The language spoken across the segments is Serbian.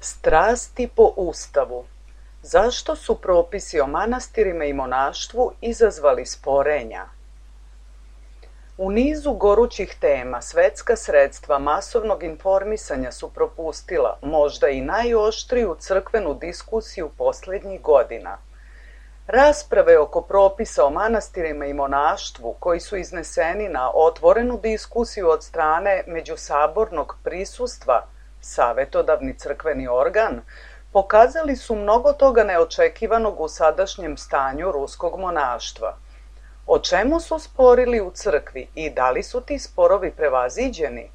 Strasti po Ustavu. Zašto su propisi o manastirima i monaštvu izazvali sporenja? U nizu gorućih tema svetska sredstva masovnog informisanja su propustila možda i najoštriju crkvenu diskusiju posljednjih godina. Rasprave oko propisa o manastirima i monaštvu, koji su izneseni na otvorenu diskusiju od strane međusabornog prisustva, savetodavni crkveni organ, pokazali su mnogo toga neočekivanog u sadašnjem stanju ruskog monaštva. O čemu su sporili u crkvi i da li su ti sporovi prevaziđeni?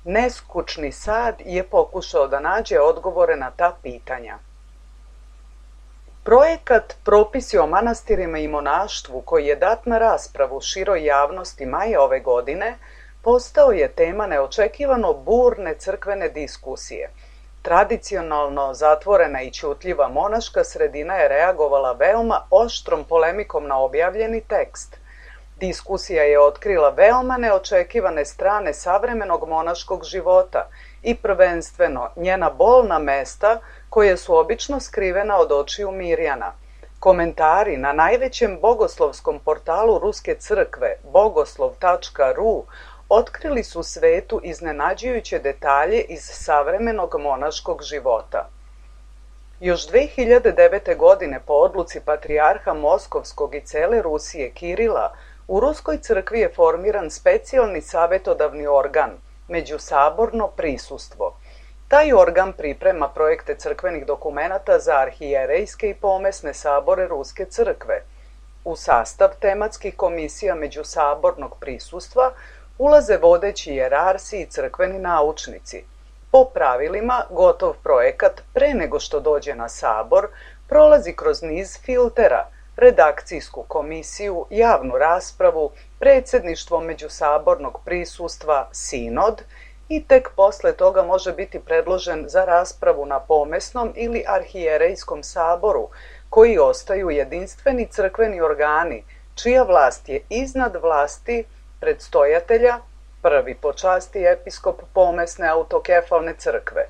Neskučni sad je pokušao da nađe odgovore na ta pitanja. Projekat Propisi o manastirima i monaštvu, koji je dat na raspravu široj javnosti maja ove godine, postao je tema neočekivano burne crkvene diskusije. Tradicionalno zatvorena i ćutljiva monaška sredina je reagovala veoma oštrom polemikom na objavljeni tekst. Diskusija je otkrila veoma neočekivane strane savremenog monaškog života i prvenstveno njena bolna mesta koje su obično skrivena od očiju Mirjana. Komentari na najvećem bogoslovskom portalu Ruske crkve bogoslov.ru otkrili su svetu iznenađujuće detalje iz savremenog monaškog života. Još 2009. godine po odluci patrijarha Moskovskog i cele Rusije Kirila, u Ruskoj crkvi je formiran specijalni savetodavni organ, međusaborno prisustvo. Taj organ priprema projekte crkvenih dokumenata za arhijerejske i pomesne sabore Ruske crkve. U sastav tematskih komisija međusabornog prisustva ulaze vodeći jerarsi i crkveni naučnici. Po pravilima, gotov projekat, pre nego što dođe na sabor, prolazi kroz niz filtera, redakcijsku komisiju, javnu raspravu, predsjedništvo međusabornog prisustva, sinod i tek posle toga može biti predložen za raspravu na pomesnom ili arhijerejskom saboru, koji ostaju jedinstveni crkveni organi, čija vlast je iznad vlasti predstojatelja, prvi po časti episkop pomesne autokefalne crkve.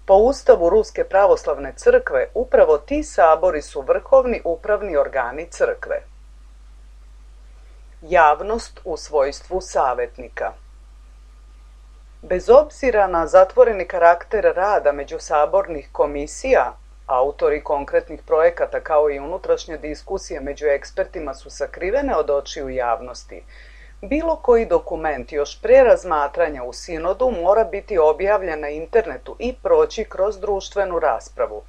Po ustavu Ruske pravoslavne crkve upravo ti sabori su vrhovni upravni organi crkve. Javnost u svojstvu savetnika. Bez obzira na zatvoreni karakter rada međusabornih komisija, autori konkretnih projekata kao i unutrašnje diskusije među ekspertima su sakrivene od očiju javnosti. Bilo koji dokument još pre razmatranja u sinodu mora biti objavljen na internetu i proći kroz društvenu raspravu.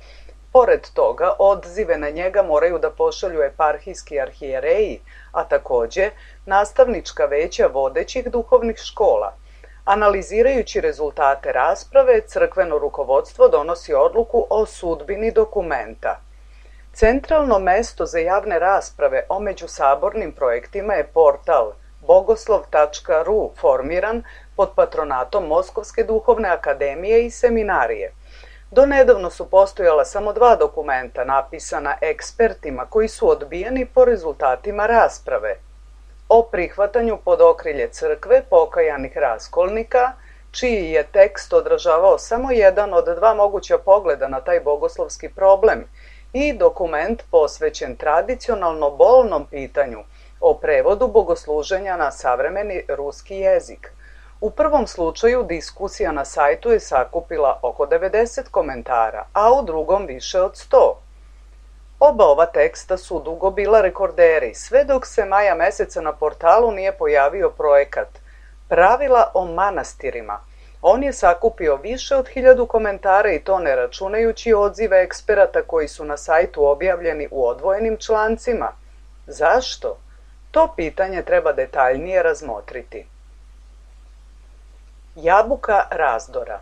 Pored toga, odzive na njega moraju da pošalju eparhijski arhijereji, a takođe nastavnička veća vodećih duhovnih škola. Analizirajući rezultate rasprave, crkveno rukovodstvo donosi odluku o sudbini dokumenta. Centralno mesto za javne rasprave o međusabornim projektima je portal bogoslov.ru, formiran pod patronatom Moskovske duhovne akademije i seminarije. Donedavno su postojala samo 2 dokumenta napisana ekspertima koji su odbijeni po rezultatima rasprave. O prihvatanju pod okrilje crkve pokajanih raskolnika, čiji je tekst odražavao samo jedan od 2 moguća pogleda na taj bogoslovski problem, i dokument posvećen tradicionalno bolnom pitanju o prevodu bogosluženja na savremeni ruski jezik. U prvom slučaju diskusija na sajtu je sakupila oko 90 komentara, a u drugom više od 100. Oba ova teksta su dugo bila rekorderi, sve dok se maja meseca na portalu nije pojavio projekat Pravila o manastirima. On je sakupio više od 1000 komentara i to ne računajući odzive eksperata koji su na sajtu objavljeni u odvojenim člancima. Zašto? To pitanje treba detaljnije razmotriti. Jabuka razdora.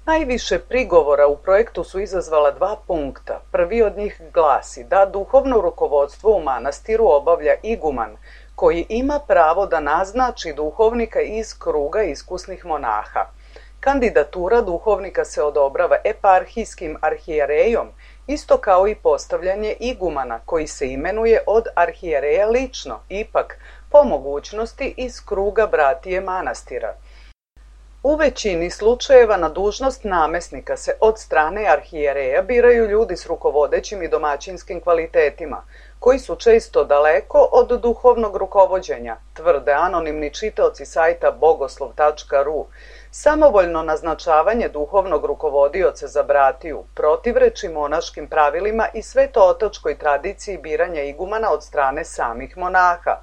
Najviše prigovora u projektu su izazvala 2 punkta. Prvi od njih glasi da duhovno rukovodstvo u manastiru obavlja iguman, koji ima pravo da naznači duhovnika iz kruga iskusnih monaha. Kandidatura duhovnika se odobrava eparhijskim arhijerejom, isto kao i postavljanje igumana, koji se imenuje od arhijereja lično, ipak po mogućnosti iz kruga bratije manastira. U većini slučajeva na dužnost namesnika se od strane arhijereja biraju ljudi s rukovodećim i domaćinskim kvalitetima, koji su često daleko od duhovnog rukovođenja, tvrde anonimni čitaoci sajta bogoslov.ru. Samovoljno naznačavanje duhovnog rukovodioca za bratiju protivreči monaškim pravilima i svetootačkoj tradiciji biranja igumana od strane samih monaha.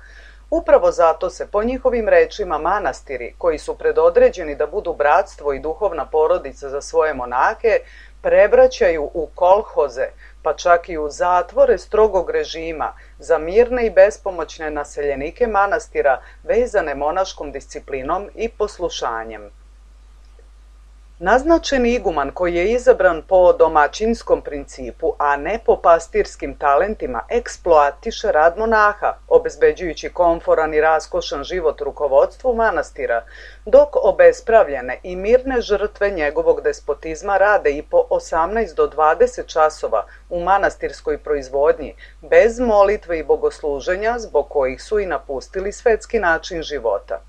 Upravo zato se, po njihovim rečima, manastiri, koji su predodređeni da budu bratstvo i duhovna porodica za svoje monahe, prebraćaju u kolhoze, pa čak i u zatvore strogog režima za mirne i bespomoćne naseljenike manastira vezane monaškom disciplinom i poslušanjem. Naznačeni iguman koji je izabran po domaćinskom principu, a ne po pastirskim talentima, eksploatiše rad monaha, obezbeđujući komforan i raskošan život rukovodstvu manastira, dok obespravljene i mirne žrtve njegovog despotizma rade i po 18 do 20 časova u manastirskoj proizvodnji, bez molitve i bogosluženja, zbog kojih su i napustili svetski način života.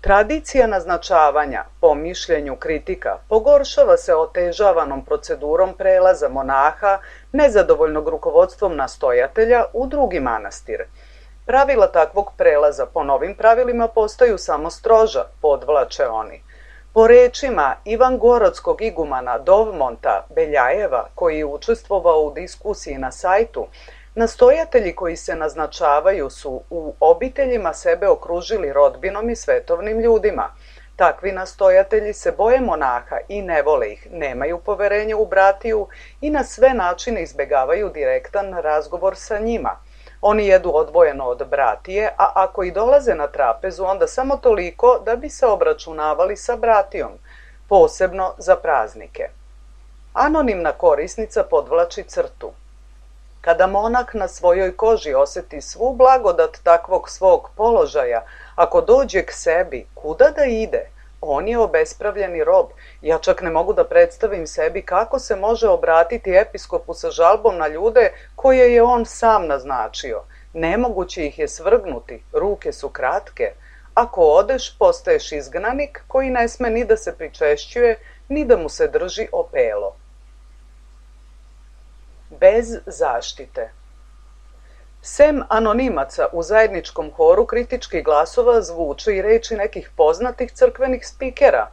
Tradicija naznačavanja, po mišljenju kritika, pogoršava se otežavanom procedurom prelaza monaha, nezadovoljnog rukovodstvom nastojatelja, u drugi manastir. Pravila takvog prelaza po novim pravilima postaju samo stroža, podvlače oni. Po rečima ivangorodskog igumana Dovmonta Beljajeva, koji je učestvovao u diskusiji na sajtu, nastojatelji koji se naznačavaju su u obiteljima sebe okružili rodbinom i svetovnim ljudima. Takvi nastojatelji se boje monaha i ne vole ih, nemaju poverenja u bratiju i na sve načine izbegavaju direktan razgovor sa njima. Oni jedu odvojeno od bratije, a ako i dolaze na trapezu, onda samo toliko da bi se obračunavali sa bratijom, posebno za praznike. Anonimna korisnica podvlači crtu. Kada monah na svojoj koži osjeti svu blagodat takvog svog položaja, ako dođe k sebi, kuda da ide? On je obespravljeni rob. Ja čak ne mogu da predstavim sebi kako se može obratiti episkopu sa žalbom na ljude koje je on sam naznačio. Nemoguće ih je svrgnuti, ruke su kratke. Ako odeš, postaješ izgnanik koji ne sme ni da se pričešćuje, ni da mu se drži opelo. Bez zaštite. Sem anonimaca u zajedničkom horu kritičkih glasova zvuče i reči nekih poznatih crkvenih spikera.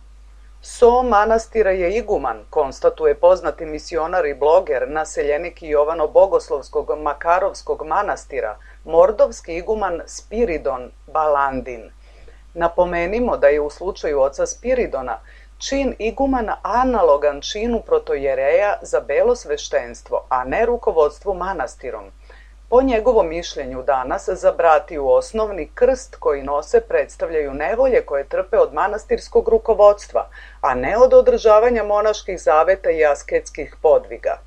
So manastira je iguman, konstatuje poznati misionar i bloger, naseljenik Jovano-Bogoslovskog Makarovskog manastira, mordovski iguman Spiridon Balandin. Napomenimo da je u slučaju oca Spiridona čin igumana analogan činu protojereja za belo sveštenstvo, a ne rukovodstvu manastirom. Po njegovom mišljenju danas za bratiju osnovni krst koji nose predstavljaju nevolje koje trpe od manastirskog rukovodstva, a ne od održavanja monaških zaveta i asketskih podviga.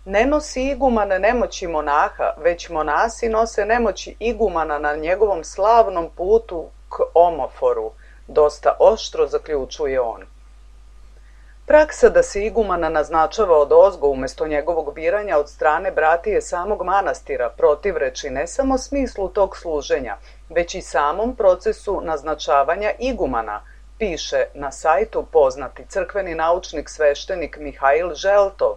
Ne nosi iguman nemoći monaha, već monasi nose nemoći igumana na njegovom slavnom putu k omoforu, dosta oštro zaključuje on. Praksa da se igumana naznačava odozgo umjesto njegovog biranja od strane bratije samog manastira protivreči ne samo smislu tog služenja, već i samom procesu naznačavanja igumana, piše na sajtu poznati crkveni naučnik sveštenik Mihail Želtov.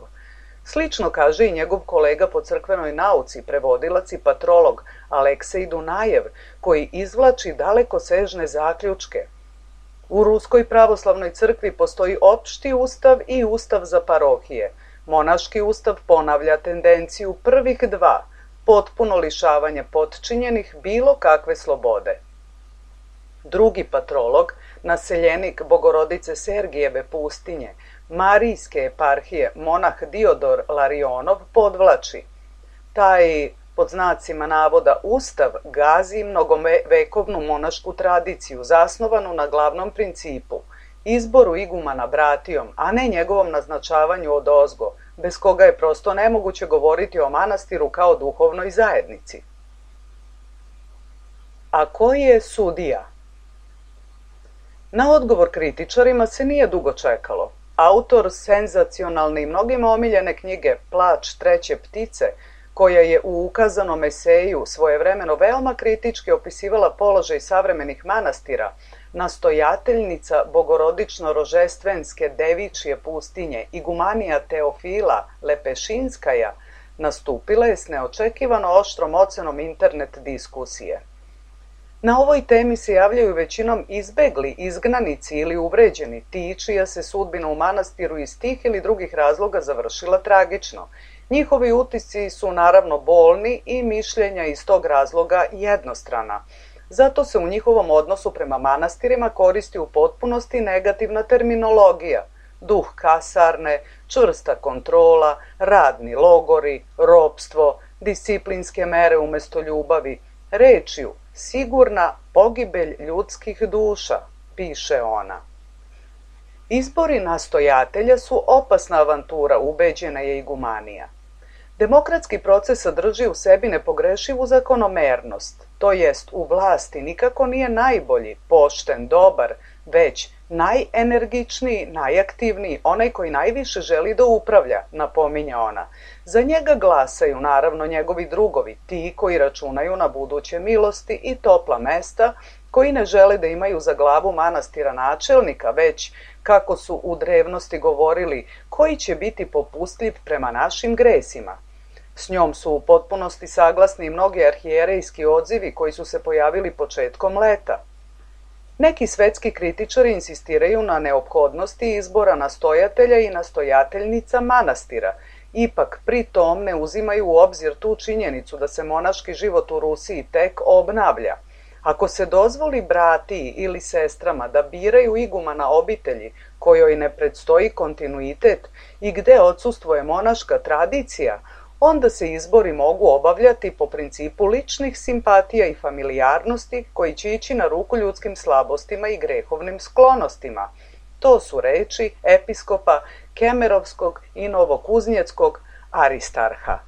Slično kaže i njegov kolega po crkvenoj nauci, prevodilac i patrolog Aleksej Dunajev, koji izvlači dalekosežne zaključke. U Ruskoj pravoslavnoj crkvi postoji opšti ustav i ustav za parohije. Monaški ustav ponavlja tendenciju prvih dva, potpuno lišavanje potčinjenih bilo kakve slobode. Drugi patrolog, naseljenik Bogorodice Sergijeve pustinje, Marijske eparhije, monah Diodor Larionov, podvlači. Taj, pod znacima navoda, ustav gazi mnogovekovnu monašku tradiciju, zasnovanu na glavnom principu, izboru igumana bratijom, a ne njegovom naznačavanju odozgo, bez koga je prosto nemoguće govoriti o manastiru kao duhovnoj zajednici. A ko je sudija? Na odgovor kritičarima se nije dugo čekalo. Autor senzacionalne i mnogima omiljene knjige Plač treće ptice, koja je u ukazanom eseju svojevremeno veoma kritički opisivala položaj savremenih manastira, nastojateljnica bogorodično-rožestvenske devičje pustinje igumanija Teofila Lepešinskaja nastupila je s neočekivano oštrom ocenom internet diskusije. Na ovoj temi se javljaju većinom izbegli, izgnanici ili uvređeni, ti čija se sudbina u manastiru iz tih ili drugih razloga završila tragično. Njihovi utisci su naravno bolni i mišljenja iz tog razloga jednostrana. Zato se u njihovom odnosu prema manastirima koristi u potpunosti negativna terminologija. Duh kasarne, čvrsta kontrola, radni logori, ropstvo, disciplinske mere umjesto ljubavi, rečju sigurna pogibelj ljudskih duša, piše ona. Izbori nastojatelja su opasna avantura, ubeđena je igumanija. Demokratski proces sadrži u sebi nepogrešivu zakonomernost, to jest u vlasti nikako nije najbolji, pošten, dobar, već najenergičniji, najaktivniji, onaj koji najviše želi da upravlja, napominja ona. Za njega glasaju naravno njegovi drugovi, ti koji računaju na buduće milosti i topla mesta, koji ne žele da imaju za glavu manastira načelnika, već, kako su u drevnosti govorili, koji će biti popustljiv prema našim gresima. S njom su u potpunosti saglasni mnogi arhijerejski odzivi koji su se pojavili početkom leta. Neki svetski kritičari insistiraju na neophodnosti izbora nastojatelja i nastojateljnica manastira, ipak pri tom ne uzimaju u obzir tu činjenicu da se monaški život u Rusiji tek obnavlja. Ako se dozvoli bratiji ili sestrama da biraju igumana obitelji kojoj ne predstoji kontinuitet i gde odsustvuje monaška tradicija, onda se izbori mogu obavljati po principu ličnih simpatija i familijarnosti koji će ići na ruku ljudskim slabostima i grehovnim sklonostima. To su reči episkopa Kemerovskog i Novokuznjeckog Aristarha.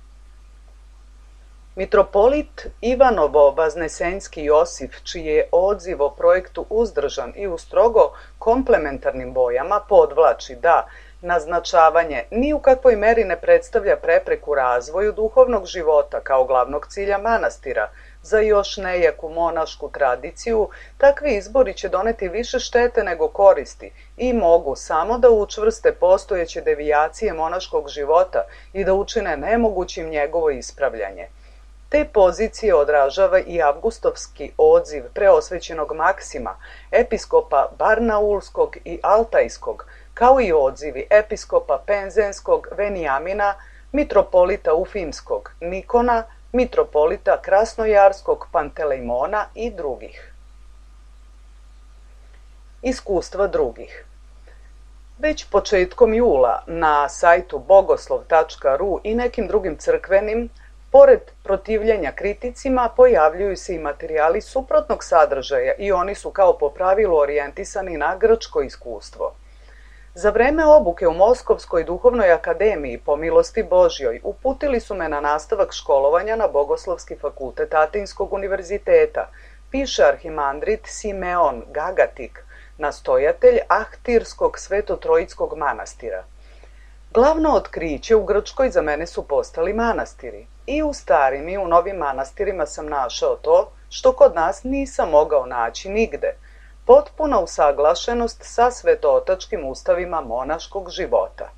Mitropolit Ivanovo-Vaznesenski Josif, čiji je odziv o projektu uzdržan i u strogo komplementarnim bojama, podvlači da naznačavanje ni u kakvoj meri ne predstavlja prepreku razvoju duhovnog života kao glavnog cilja manastira. Za još nejaku monašku tradiciju, takvi izbori će doneti više štete nego koristi i mogu samo da učvrste postojeće devijacije monaškog života i da učine nemogućim njegovo ispravljanje. Te pozicije odražava i avgustovski odziv preosvećenog Maksima, episkopa Barnaulskog i Altajskog, kao i odzivi episkopa Penzenskog Venijamina, mitropolita Ufimskog Nikona, mitropolita Krasnojarskog Pantelejmona i drugih. Iskustva drugih. Već početkom jula na sajtu bogoslov.ru i nekim drugim crkvenim, pored protivljenja kriticima, pojavljuju se i materijali suprotnog sadržaja i oni su kao po pravilu orijentisani na grčko iskustvo. Za vreme obuke u Moskovskoj duhovnoj akademiji po milosti Božjoj uputili su me na nastavak školovanja na Bogoslovski fakultet Atinskog univerziteta, piše arhimandrit Simeon Gagatik, nastojatelj Ahtirskog svetotrojickog manastira. Glavno otkriće u Grčkoj za mene su postali manastiri. I u starim i u novim manastirima sam našao to što kod nas nisam mogao naći nigde. Potpuna usaglašenost sa svetootačkim ustavima monaškog života.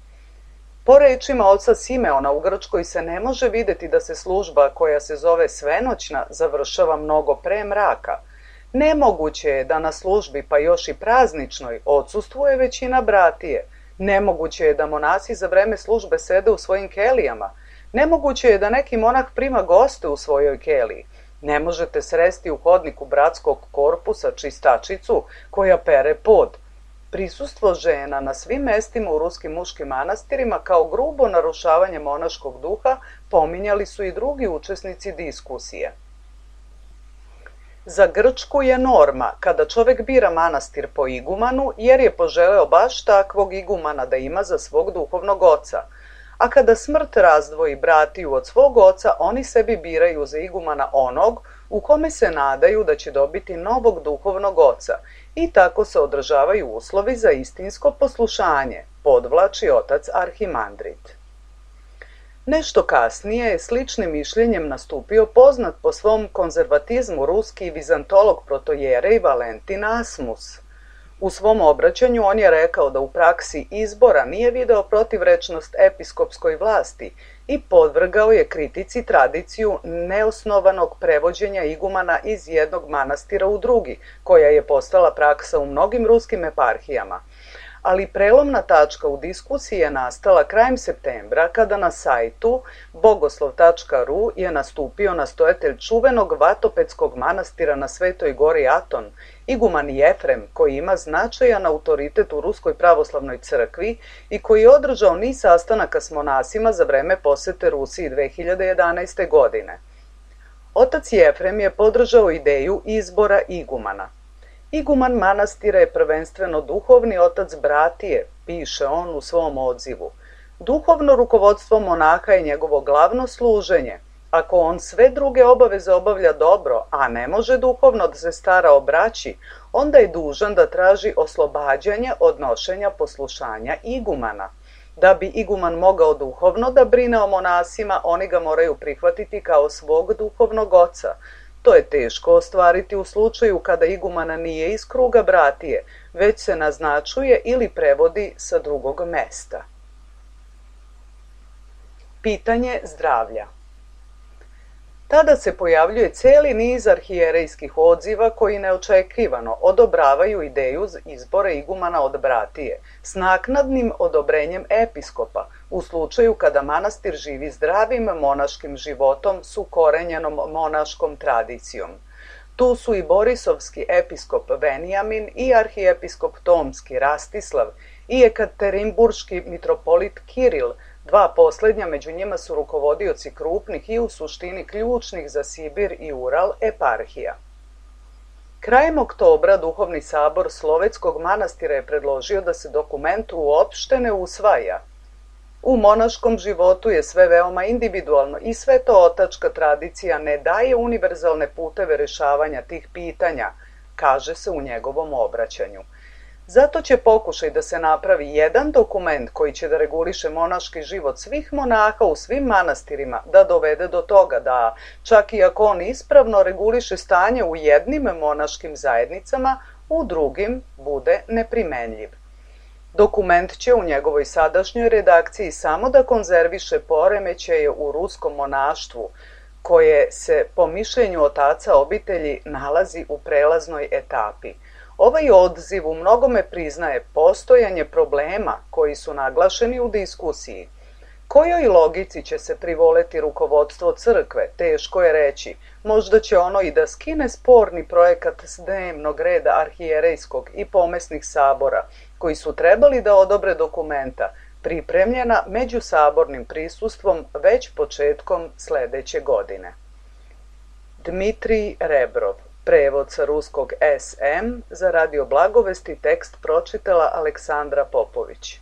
Po rečima oca Simeona, u Grčkoj se ne može vidjeti da se služba koja se zove svenoćna završava mnogo pre mraka. Nemoguće je da na službi, pa još i prazničnoj, odsustvuje većina bratije. Nemoguće je da monasi za vreme službe sede u svojim kelijama. Nemoguće je da neki monah prima goste u svojoj keliji. Ne možete sresti u hodniku bratskog korpusa čistačicu koja pere pod. Prisustvo žena na svim mestima u ruskim muškim manastirima kao grubo narušavanje monaškog duha pominjali su i drugi učesnici diskusije. Za Grčku je norma kada čovek bira manastir po igumanu jer je poželeo baš takvog igumana da ima za svog duhovnog oca, a kada smrt razdvoji bratiju od svog oca, oni sebi biraju za igumana onog u kome se nadaju da će dobiti novog duhovnog oca i tako se održavaju uslovi za istinsko poslušanje, podvlači otac arhimandrit. Nešto kasnije je sličnim mišljenjem nastupio poznat po svom konzervatizmu ruski vizantolog protojerej Valentin Asmus. U svom obraćanju on je rekao da u praksi izbora nije video protivrečnost episkopskoj vlasti i podvrgao je kritici tradiciju neosnovanog prevođenja igumana iz jednog manastira u drugi, koja je postala praksa u mnogim ruskim eparhijama. Ali prelomna tačka u diskusiji je nastala krajem septembra kada na sajtu bogoslov.ru je nastupio nastojatelj čuvenog vatopedskog manastira na Svetoj gori Aton, iguman Jefrem, koji ima značajan autoritet u Ruskoj pravoslavnoj crkvi i koji je održao niz sastanaka s monasima za vreme posete Rusiji 2011. godine. Otac Jefrem je podržao ideju izbora igumana. Iguman manastira je prvenstveno duhovni otac bratije, piše on u svom odzivu. Duhovno rukovodstvo monaha je njegovo glavno služenje. Ako on sve druge obaveze obavlja dobro, a ne može duhovno da se stara o braći, onda je dužan da traži oslobađanje od nošenja poslušanja igumana. Da bi iguman mogao duhovno da brine o monasima, oni ga moraju prihvatiti kao svog duhovnog oca. To je teško ostvariti u slučaju kada igumana nije iz kruga bratije, već se naznačuje ili prevodi sa drugog mesta. Pitanje zdravlja. Tada se pojavljuje cijeli niz arhijerejskih odziva koji neočekivano odobravaju ideju izbora igumana od bratije s naknadnim odobrenjem episkopa u slučaju kada manastir živi zdravim monaškim životom s ukorenjenom monaškom tradicijom. Tu su i borisovski episkop Venijamin i arhijepiskop Tomski Rastislav i ekaterinburški mitropolit Kiril. Dva posljednja među njima su rukovodioci krupnih i u suštini ključnih za Sibir i Ural eparhija. Krajem oktobra Duhovni sabor Slovetskog manastira je predložio da se dokument uopšte ne usvaja. U monaškom životu je sve veoma individualno i svetootačka tradicija ne daje univerzalne puteve rešavanja tih pitanja, kaže se u njegovom obraćanju. Zato će pokušaj da se napravi jedan dokument koji će da reguliše monaški život svih monaha u svim manastirima da dovede do toga da, čak i ako on ispravno reguliše stanje u jednim monaškim zajednicama, u drugim bude neprimenljiv. Dokument će u njegovoj sadašnjoj redakciji samo da konzerviše poremećaje u ruskom monaštvu, koje se, po mišljenju otaca obitelji, nalazi u prelaznoj etapi. Ovaj odziv u mnogome priznaje postojanje problema koji su naglašeni u diskusiji. Kojoj logici će se privoleti rukovodstvo crkve, teško je reći. Možda će ono i da skine sporni projekat s dnevnog reda arhijerejskog i pomesnih sabora, koji su trebali da odobre dokumenta, pripremljena međusabornim prisustvom već početkom sledeće godine. Dmitrij Rebrov, prevod sa ruskog SM, za Radio Blagovesti tekst pročitala Aleksandra Popović.